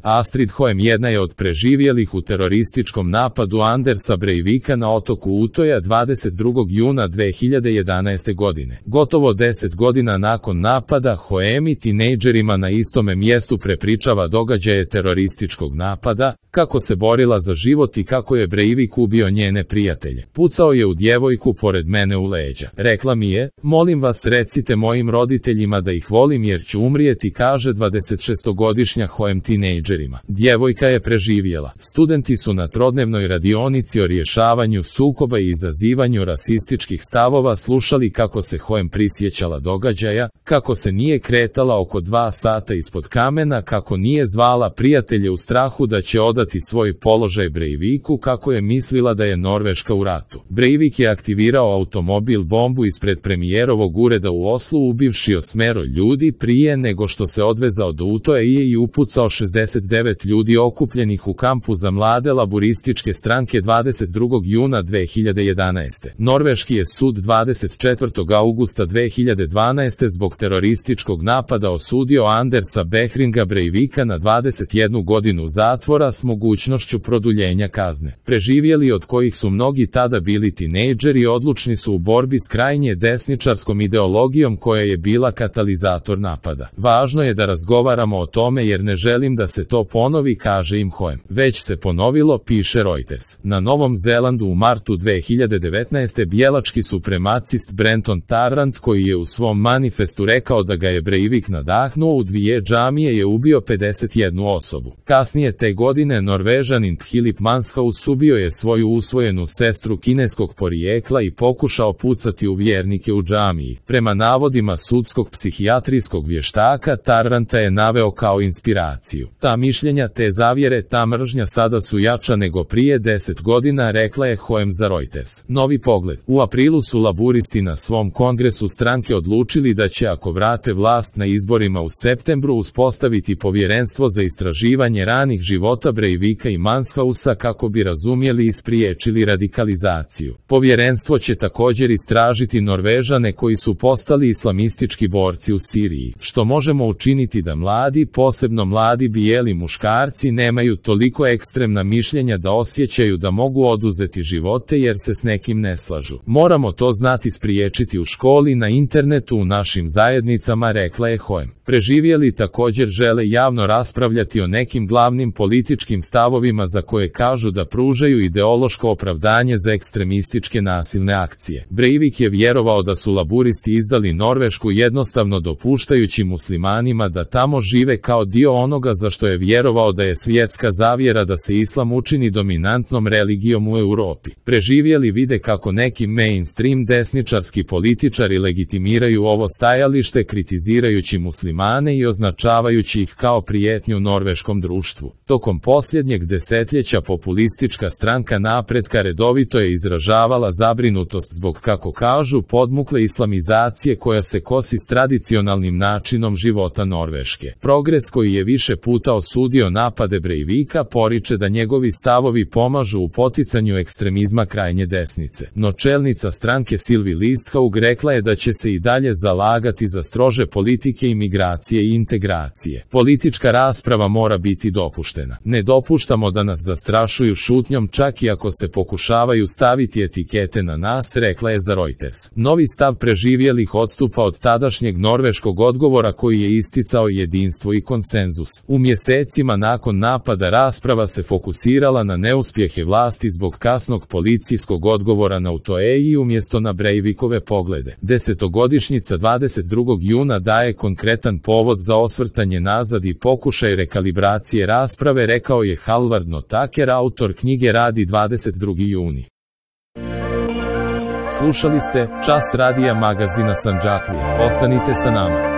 Astrid Hoem jedna je od preživjelih u terorističkom napadu Andersa Breivika na otoku Utoja 22. juna 2011. godine. Gotovo 10 godina nakon napada, Hoem i tinejdžerima na istome mjestu prepričava događaje terorističkog napada, kako se borila za život i kako je Breivik ubio njene prijatelje. Pucao je u djevojku pored mene u leđa. Rekla mi je, molim vas recite mojim roditeljima da ih volim jer ću umrijeti, kaže 26-godišnja Hoem tinejdžerima. Djevojka je preživjela. Studenti su na trodnevnoj radionici o rješavanju sukoba i izazivanju rasističkih stavova slušali kako se Hoem prisjećala događaja, kako se nije kretala oko 2 sata ispod kamena, kako nije zvala prijatelje u strahu da će odati svoj položaj Breiviku, kako je mislila da je Norveška u ratu. Breivik je aktivirao automobil bombu ispred premijerovog ureda u Oslu ubivši 8 ljudi prije nego što se odvezao do Utoja i upucao 69 ljudi okupljenih u kampu za mlade laburističke stranke 22. juna 2011. Norveški je sud 24. augusta 2012. zbog terorističkog napada osudio Andersa Behringa Breivika na 21 godinu zatvora s mogućnošću produljenja kazne. Preživjeli, od kojih su mnogi tada bili tinejdžeri, odlučni su u borbi s krajnje desničarskom ideologijom koja je bila katalizator napada. Važno je da razgovaramo o tome jer ne želim da se to ponovi, kaže im Hoem. Već se ponovilo, piše Reuters. Na Novom Zelandu u martu 2019. bijelački supremacist Brenton Tarrant, koji je u svom manifestu rekao da ga je Breivik nadahnuo u 2 džamije, je ubio 51 osobu. Kasnije te godine Norvežanin Philip Manshaus ubio je svoju usvojenu sestru kineskog porijekla i pokušao pucati u vjernike u džamiji. Prema navodima sudskog psihijatrijskog vještaka, Tarranta je naveo kao inspiraciju. Ta mišljenja, te zavjere, ta mržnja sada su jača nego prije 10 godina, rekla je Hoem za Reuters. Novi pogled. U aprilu su laburisti na svom kongresu stranke odlučili da će, ako vrate vlast na izborima u septembru, uspostaviti povjerenstvo za istraživanje ranih života Breivika i Manshausa kako bi razumjeli i spriječili radikalizaciju. Povjerenstvo će također istražiti Norvežane koji su postali islamistički borci u Siriji. Što možemo učiniti da mladi, posebno mladi bijeli muškarci, nemaju toliko ekstremna mišljenja da osjećaju da mogu oduzeti živote jer se s nekim ne slažu. Moramo to znati spriječiti u školi, na internetu, u našim zajednicama, rekla je Hoem. Preživjeli također žele javno raspravljati o nekim glavnim političkim stavovima za koje kažu da pružaju ideološko opravdanje za ekstremističke nasilne akcije. Breivik je vjerovao da su laburisti izdali Norvešku jednostavno dopuštajući muslimanima da tamo žive kao dio onoga za što je vjerovao da je svjetska zavjera da se islam učini dominantnom religijom u Europi. Preživjeli vide kako neki mainstream desničarski političari legitimiraju ovo stajalište kritizirajući muslimane i označavajući ih kao prijetnju norveškom društvu. Tokom posljednjeg desetljeća populistička stranka Napretka redovito je izražavala zabrinutost zbog, kako kažu, podmukle islamizacije koja se kosi s tradicionalnim načinom života Norveške. Progres, koji je više puta osudio napade Breivika, poriče da njegovi stavovi pomažu u poticanju ekstremizma krajnje desnice. No čelnica stranke Sylvi Listhaug rekla je da će se i dalje zalagati za strože politike imigracije i integracije. Politička rasprava mora biti dopuštena. Ne dopuštamo da nas zastrašuju šutnjom čak i ako se pokušavaju staviti etikete na nas, rekla je za Reuters. Novi stav preživjelih odstupa od tadašnjeg norveškog odgovora koji je isticao jedinstvo i konsenzus. U mjesecima nakon napada rasprava se fokusirala na neuspjehe vlasti zbog kasnog policijskog odgovora na Utoje i umjesto na Breivikove poglede. 10-godišnjica 22. juna daje konkretan povod za osvrtanje nazad i pokušaj rekalibracije rasprave, rekao je Halvard Notaker, autor knjige Radi 22. juni. Slušali ste Čas radija magazina Sandžaklije. Ostanite sa nama.